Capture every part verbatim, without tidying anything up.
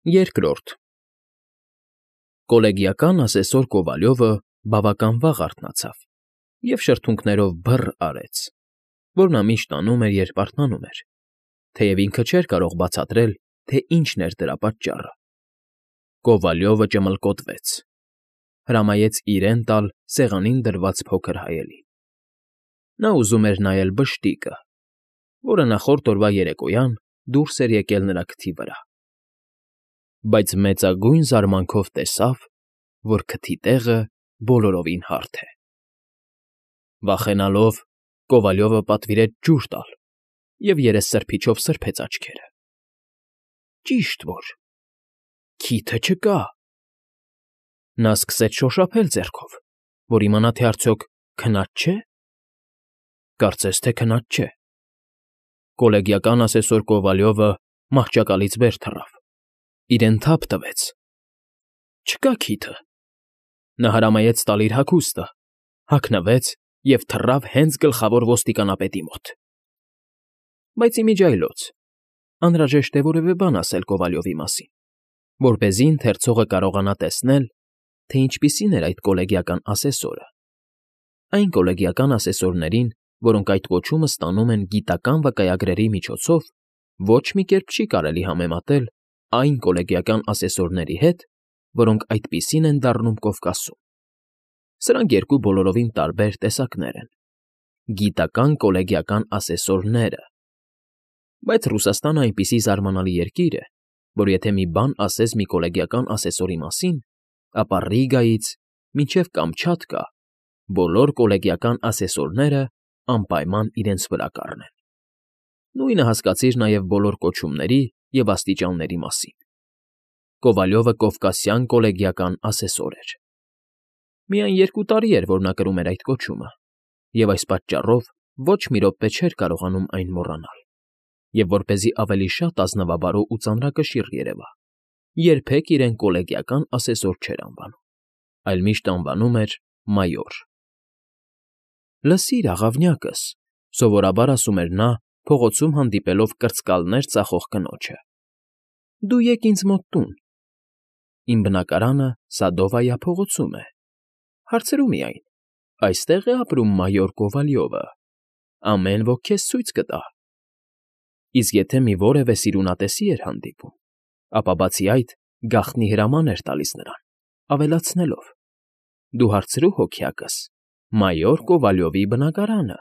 Երկրորդ Կոլեգիական ասեսոր Կովալյովը բավական վաղ արթնացավ և շրթունքներով բռ արեց, որ նա միշտ անում էր, երբ արթնանում էր, թեև ինքը չէր կարող բացատրել, թե ինչն էր դրա պատճառը։ Կովալյովը ճմլկոտվեց, հրամայեց իրեն տալ սեղանին դրված փոքր հայելին։ Նա ուզում էր նայել բշտիկը, որը նախորդ օրվա երեկոյան դուրս էր եկել նրա քթի վրա, բայց մեծագույն զարմանքով տեսավ, որ քթի տեղը բոլորովին հարթ է։ Վախենալով, Կովալյովը պատվիրեց ջուր տալ և երեսսրբիչով սրբեց աչքերը։ Ճիշտ որ քիթը չկա։ Նա սկսեց շոշափել ձեռքով, որ իմանա, թե արդյոք քնած չէ՞։ Կարծես թե քնած չէ։ Կոլեգիական ասեսոր Կովալյովը մահճակալից վեր թռավ, իրեն թափ տվեց։ Չկա քիթը։ Նա հրամայեց տալ իր հագուստը, հագնվեց և թռավ հենց գլխավոր ոստիկանապետի մոտ։ Բայց ի միջի այլոց անհրաժեշտ է որևէ բան ասել Կովալյովի մասին, որպեսզի ընթերցողը կարողանա տեսնել, թե ինչպիսին էր այդ կոլեգիական ասեսորը։ Այն կոլեգիական ասեսորներին, որոնք այդ կոչումը ստանում են գիտական վկայագրերի միջոցով, ոչ մի կերպ չի կարելի համեմատել այն կոլեգիական ասեսորների հետ, որոնք այդպիսին են դառնում Կովկասում։ Սրանք երկու բոլորովին տարբեր տեսակներ են։ Գիտական կոլեգիական ասեսորները։ Բայց Ռուսաստանը այնպիսի զարմանալի երկիր է, որ եթե մի բան ասես մի կոլեգիական ասեսորի մասին, ապա Ռիգայից մինչև Կամչատկա բոլոր կոլեգիական ասեսորները անպայման իրենց վրա կառնեն։ Նույնը հասկացիր նաև բոլոր կոչումների և աստիճանների մասին։ Կովալյովը կովկասյան կոլեգիական ասեսոր էր։ Միայն երկու տարի էր, որ նա կրում էր այդ կոչումը, և այս պատճառով ոչ մի րոպե չէր կարողանում այն մոռանալ, և որպեսզի ավելի շատ ազնվաբարո ու ծանրակշիռ երևա, երբեք իրեն կոլեգիական ասեսոր չէր անվանում, այլ միշտ անվանում էր մայոր։ Լսիր, աղավնյակս, սովորաբար ասում էր նա, փողոցում հանդիպելով կրծկալներ ծախող կնոջը, դու եկ ինձ մոտ տուն։ Իմ բնակարանը Սադովայա փողոցում է։ Հարցրու միայն, այստե՞ղ է ապրում մայոր Կովալյովը, ամեն ոք քեզ ցույց կտա։ Իսկ եթե մի որևէ սիրունատեսի էր հանդիպում, ապա բացի այդ գաղտնի հրաման էր տալիս նրան, ավելացնելով. դու հարցրու հոգյակս մայոր Կովալյովի բնակարանը։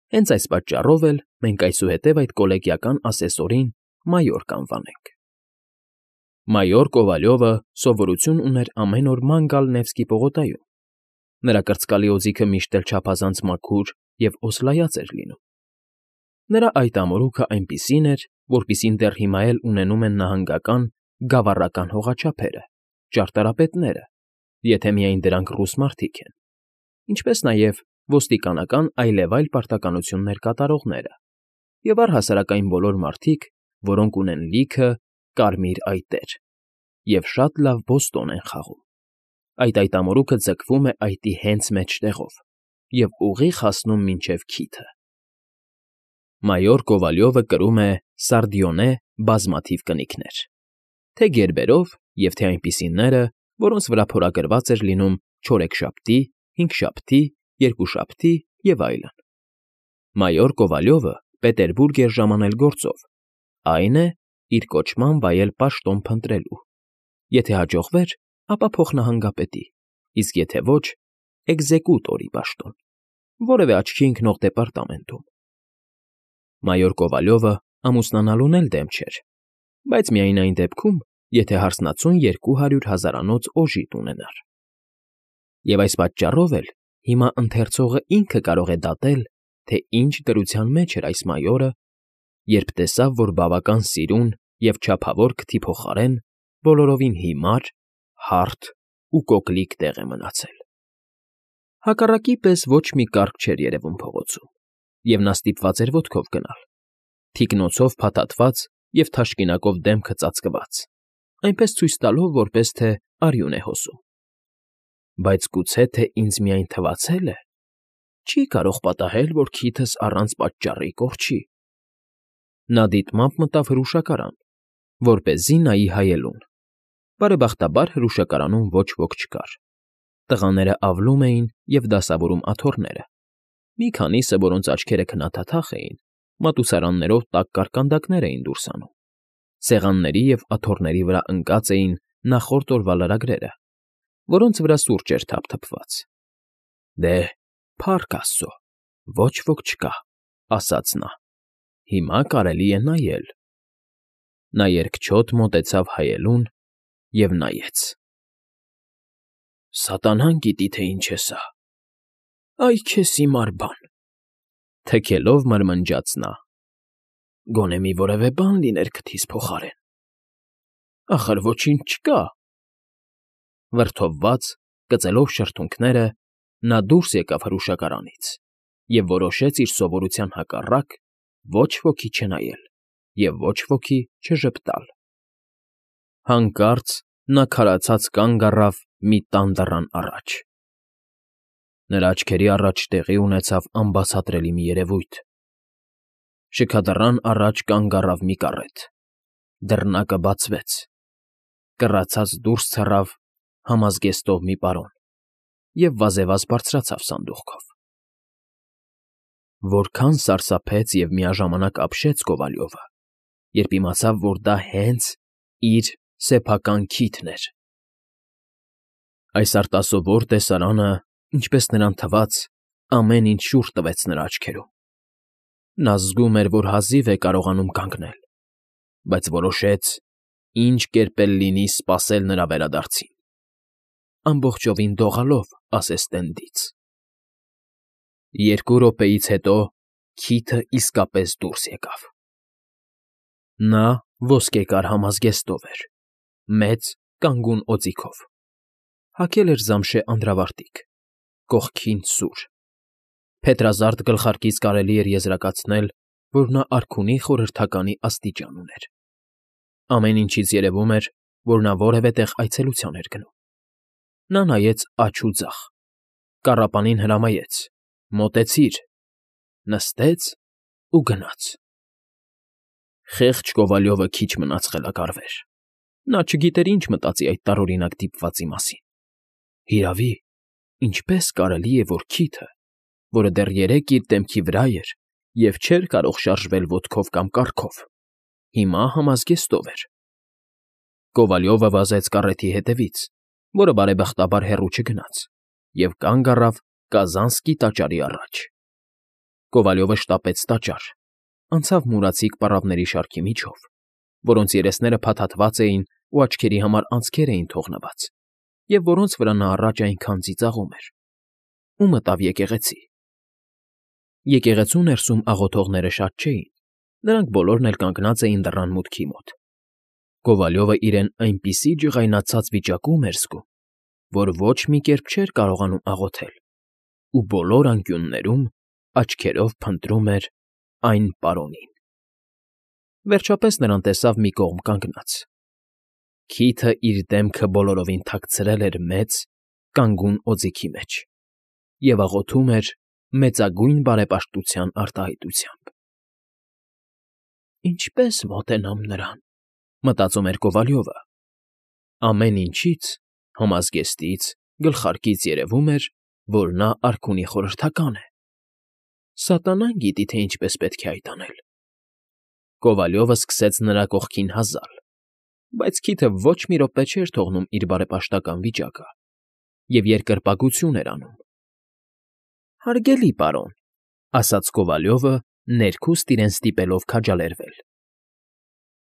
Հենց այս պատճառով էլ մենք այսուհետև այդ կոլեգիական ասեսորին մայոր կանվանենք։ Մայոր Կովալյովը սովորություն ուներ ամեն օր ման գալ Նևսկի պողոտայում։ Նրա կրծկալի օձիքը միշտ էլ չափազանց մաքուր և օսլայած էր լինում։ Նրա այդ ամորուքը այնպիսին էր, որպիսին դեռ հիմա էլ ունենում են նահանգական գավառական հողաչափերը, ճարտարապետները, եթե միայն դրանք ռուս մարդիկ են, ինչպես նաև ոստիկանական այլևայլ պարտականություններ կատարողները և առհասարակ այն բոլոր մարդիկ, որոնք ունեն լիքը կարմիր այտեր և շատ լավ բոստոն են խաղում։ Այդ այդ ամորուքը ձգվում է այտի հենց մեջտեղով և ուղիղ հասնում մինչև քիթը։ Մայոր Կովալյովը կրում է Սարդիոնե բազմաթիվ կնիկներ, թե գերբերով և թե այնպիսիները, որոնց վրա փորագրված էր լինում չորեքշաբթի, հինգշաբթի, երկուշաբթի և այլն։ Մայոր Կովալյովը Պետերբուրգ էր ժամանել գործով, այն է, իր կոչման վայել պաշտոն փնտրելու։ Եթե հաջողվեր, ապա փոխնահանգապետի, իսկ եթե ոչ, էկզեկուտորի պաշտոն, որևէ աչքի ընկնող դեպարտամենտում։ Մայոր Կովալյովը ամուսնանալուն էլ դեմ չէր, բայց միայն այն դեպքում, եթե հարսնացուն երկու հարյուր հազարանոց օժիտ ունենար։ Եվ այս պատճառով էլ հիմա ընթերցողը ինքը կարող է դատել, թե ինչ դրության մեջ էր այս մայորը, երբ տեսավ, որ բավական սիրուն և չափավոր քթի փոխարեն բոլորովին հիմար, հարթ ու կոկլիկ տեղ է մնացել։ Հակառակի պես ոչ մի կառք չէր երևում փողոցում, և նա ստիպված էր ոտքով գնալ, թիկնոցով փաթաթված և թաշկինակով դեմքը ծածկված, այնպես ցույց տալով, որպես թե արյուն է հոսում։ Բայց գուցե թե ինձ միայն թվացե՞լ է, չի կարող պատահել, որ քիթս առանց պատճառի կորչի։ Նա դիտմամբ մտավ հրուշակարան որպեսզի նայի հայելուն։ Բարեբախտաբար հրուշակարանում ոչ ոք չկար։ Տղաները ավլում էին և դասավորում աթոռները։ Մի քանիսը, որոնց աչքերը քնաթաթախ էին, մատուցարաններով տաք կարկանդակներ էին դուրս անում։ Սեղանների և աթոռների վրա ընկած էին նախորդ օրվա լրագրերը, որոնց վրա սուրճ էր թափթփված։ «Դե, փառք աստծո, ոչ ոք չկա», ասաց նա։ «Հիմա կարելի է նայել»։ Նա երկչոտ մոտեցավ հայելուն և նայեց։ «Սատանան գիտի, թե ինչ է սա, այ քեզ հիմար բան», թքելով մրմնջաց նա։ «Գոնե մի որևէ բան լիներ քթիս փոխարեն։ Ախր ոչինչ չկա»։ Վրդովված, կծելով շրթունքները, նա դուրս եկավ հրուշակարանից և որոշեց իր սովորության հակառակ ոչ ոքի չնայել և ոչ ոքի չժպտալ։ Հանկարծ նա քարացած կանգ առավ մի տան դռան առաջ։ Նրա աչքերի առաջ տեղի ունեցավ անբացատրելի մի երևույթ։ Շքադռան առաջ կանգ առավ մի կառետ։ Դռնակը բացվեց։ Կռացած դուրս թռավ համազգեստով մի պարոն և վազեվազ բարձրացավ սանդուղքով։ Որքան սարսափեց և միաժամանակ ապշեց Կովալյովը, երբ իմացավ, որ դա հենց իր սեփական քիթն էր։ Այս արտասովոր տեսարանը, ինչպես նրան թվաց, ամեն ինչ շուռ տվեց նրա աչքերում։ Նա զգում էր, որ հազիվ է կարողանում կանգնել, բայց որոշեց ինչ կերպ էլ լինի սպասել նրա վերադարձին, ամբողջովին դողալով ասեստենդից։ Երկու րոպեից հետո քիթը իսկապես դուրս եկավ։ Նա ոսկեկար համազգեստով էր, մեծ կանգուն օձիքով։ Հագել էր զամշե անդրավարտիք, կողքին՝ սուր։ Փետրազարդ գլխարկից կարելի էր եզրակացնել, որ նա արքունի խորհրդականի աստիճան ուներ։ Ամեն ինչից երևում էր, որ նա որևէ տեղ այցելության էր գնում։ Նա նայեց աջ ու ձախ, կառապանին հրամայեց. «Մոտեցիր», նստեց ու գնաց։ Խեղճ Կովալյովը քիչ մնաց խելագարվեր։ Նա չգիտեր ինչ մտածի այդ տարօրինակ դիպվածի մասին։ Հիրավի, ինչպե՞ս կարելի է, որ քիթը, որը դեռ երեկ իր դեմքի վրա էր և չէր կարող շարժվել ոտքով կամ կառքով, հիմա համազգեստով էր։ Կովալյովը վազեց կառեթի հետևից, որը բարեբախտաբար հեռու չգնաց, և կանգ առավ Կազանսկի տաճարի առաջ։ Կովալյովը շտապեց տաճար, անցավ մուրացիկ պառավների շարքի միջով, որոնց երեսները փաթաթված էին ու աչքերի համար անցքեր էին թողնված, և որոնց վրա նա առաջ այնքան ծիծաղում էր, ու մտավ եկեղեցի։ Եկեղեցու ներսում աղոթողները շատ չէին, նրանք բոլորն էլ կանգնած էին դռան մուտքի մոտ։ Կովալյովը իրեն այնպիսի ջղայնացած վիճակում էր զգում, որ ոչ մի կերպ չէր կարողանում աղոթել, ու բոլոր անկյուններում աչքերով փնտրում էր այն պարոնին։ Վերջապես նրան տեսավ մի կողմ կանգնած։ Քիթը իր դեմքը բոլորովին թաքցրել էր մեծ, կանգուն օձիքի մեջ և աղոթում էր մեծագույն բարեպաշտության արտահայտությամբ։ «Ինչպե՞ս մոտենամ նրան», մտածում էր Կովալյովը։ Ամեն ինչից՝ համազգեստից, գլխարկից երևում էր, որ նա արքունի խորհրդական է։ Սատանան գիտի, թե ինչպես պետք է այդ անել։ Կովալյովը սկսեց նրա կողքին հազալ, բայց քիթը ոչ մի րոպե չէր թողնում իր բարեպաշտական վիճակը և երկրպագություն էր անում։ «Հարգելի պարոն», ասաց Կովալյովը, ներքուստ իրեն ստիպելով քաջալերվել։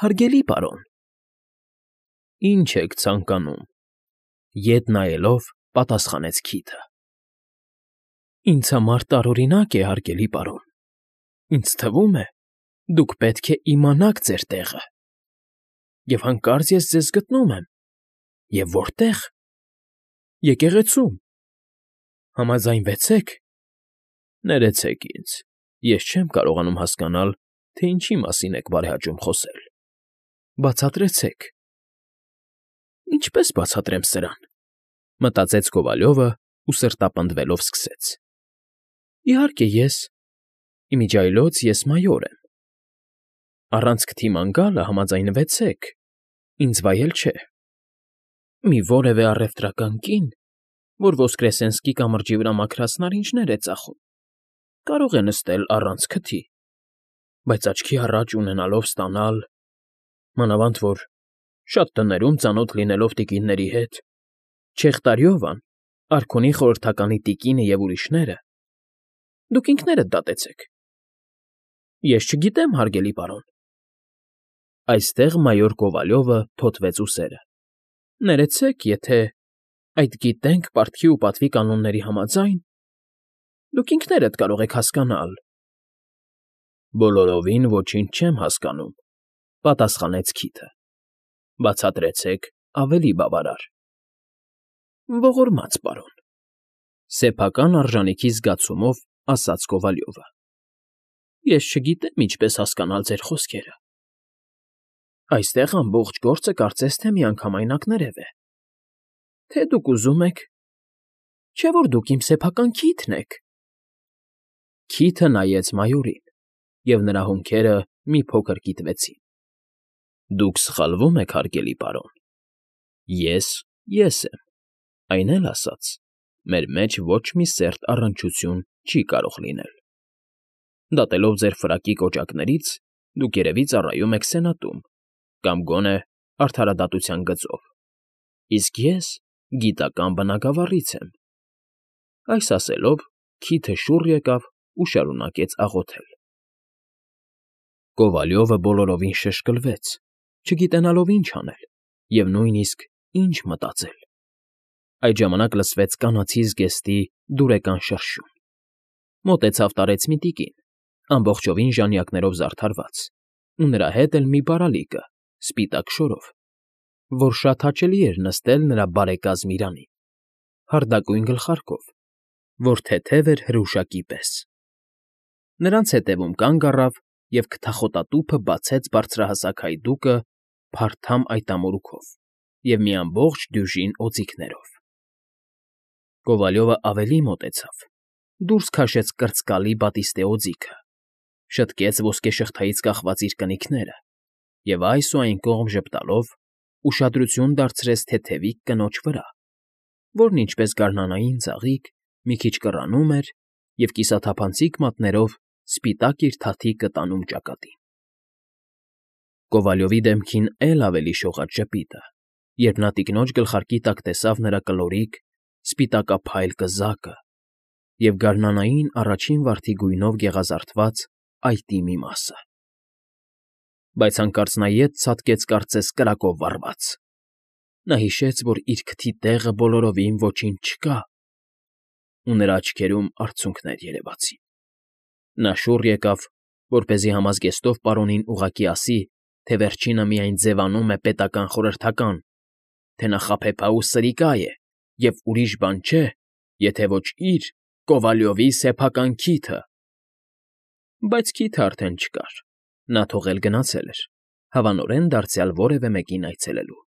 «Հարգելի պարոն»։ «Ինչ եք ցանկանում», ետ նայելով պատասխանեց քիթը։ «Ինձ համար տարօրինակ է, հարգելի պարոն։ Ինձ թվում է, դուք պետք է իմանաք ձեր տեղը։ Եվ հանկարծ ես ձեզ գտնում եմ։ Եվ որտե՞ղ։ Եկեղեցում։ Համաձայնվեցե՞ք։ Ներեցեք ինձ, ես չեմ կարողանում հասկանալ, թե ինչի մասին եք բարեհաճում խոսել։ Բացատրեցեք»։ «Ինչպե՞ս բացատրեմ սրան», մտածեց Կովալյովը ու սրտապնդվելով սկսեց. «Իհարկե ես… Իմիջիայլոց ես մայոր եմ։ Առանց քթի ման գալը համաձայնվեցեք, Ինձ վայել չէ։ Մի որևէ առևտրական կին, որ Ոսկրեսենսկի կամրջի վրա մաքրած նարինջներ է ծախում, կարող է նստել առանց քթի, բայց աչքի առաջ ունենալով ստանալ, մանավանդ որ շատ տներում ծանոթ լինելով տիկինների հետ, Չեղտարյովան, արքունի խորհրդականի տիկինը և ուրիշները, դուք ինքներդ դատեցեք։ Ես չգիտեմ, հարգելի պարոն։ Այստեղ մայոր Կովալյովը թոթվեց ուսերը։ Ներեցեք, եթե այդ «գիտենք» պարտքի ու պատվի կանոնների համաձայն, դուք ինքներդ կարող եք հասկանալ։ Բոլորովին ոչինչ չեմ հասկանում, պատասխանեց Քիթը։ Բացատրեցեք ավելի բավարար։ Ողորմած պարոն, սեփական արժանիքի զգացումով ասաց Կովալյովը։ Ես չգիտեմ ինչպես հասկանալ ձեր խոսքերը։ Այստեղ ամբողջ գործը կարծես թե միանգամայն ակներև է։ Թե դուք ուզում եք, չէ՞ որ դուք իմ սեփական Քիթն եք։ Քիթը նայեց մայորին, և նրա հոնքերը մի փոքր կիտվեցին։ Դուք սխալվում եք, հարգելի պարոն։ Ես՝ ես եմ, այն էլ ասած, մեր մեջ ոչ մի սերտ առնչություն չի կարող լինել։ Դատելով ձեր ֆրակի կոճակներից, դուք երևի ծառայում եք սենատում կամ գոնե արդարադատության գծով, իսկ ես գիտական բնագավառից եմ։ Այս ասելով Քիթը շուռ եկավ ու շարունակեց աղոթել։ Կովալյովը բոլորովին շշկլվեց, չգիտենալով ինչ անել և նույնիսկ ինչ մտածել։ Այդ ժամանակ լսվեց կանացի զգեստի դուրեկան շրշյուն։ Մոտեցավ տարեց մի տիկին, ամբողջովին ժանյակներով զարդարված, ու նրա հետ էլ մի բարալիկը, սպիտակ շորով, որ շատ հաճելի էր նստել նրա բարեկազմ իրանին, հարդակույն գլխարկով, որ թեթև էր հրուշակի պես։ Նրանց ետևում կանգ առավ և քթախոտատուփը բացեց բարձրահասակ հայդուկը փարթամ այտամորուքով և մի ամբողջ դյուժին օձիքներով։ Կովալյովը ավելի մոտեցավ, դուրս քաշեց կրծկալի բատիստե օձիքը, շտկեց ոսկեշղթայից կախված իր կնիկները և այս ու այն կողմ ժպտալով ուշադրություն դարձրեց թեթևիկ կնոջ վրա, որն ինչպես գարնանային ծաղիկ մի քիչ կռանում էր և կիսաթափանցիկ մատներով սպիտակ իր թաթիկը տանում ճակատին։ Կովալյովի դեմքին էլ ավելի շողաց ժպիտը, երբ նա տիկնոջ գլխարկի տակ տեսավ նրա կլորիկ, սպիտակափայլ կզակը և գարնանային առաջին վարդի գույնով գեղազարդված այտի մի մասը։ Բայց հանկարծ նա ետ ցատկեց կարծես կրակով վառված։ Նա հիշեց, որ իր քթի տեղը բոլորովին ոչինչ չկա, ու նրա աչքերում արցունքներ երևացին։ Նա շուռ եկավ, որպեսզի համազգեստով պարոնին ուղղակի ասի, թե վերջինը միայն ձևանում է պետական խորհրդական, թե նա խաբեբա ու սրիկա է և ուրիշ բան չէ, եթե ոչ իր՝ Կովալյովի սեփական Քիթը։ Բայց Քիթը արդեն չկար, նա թողել գնացել էր, հավանորեն դարձյալ որևէ մեկին այցելելու։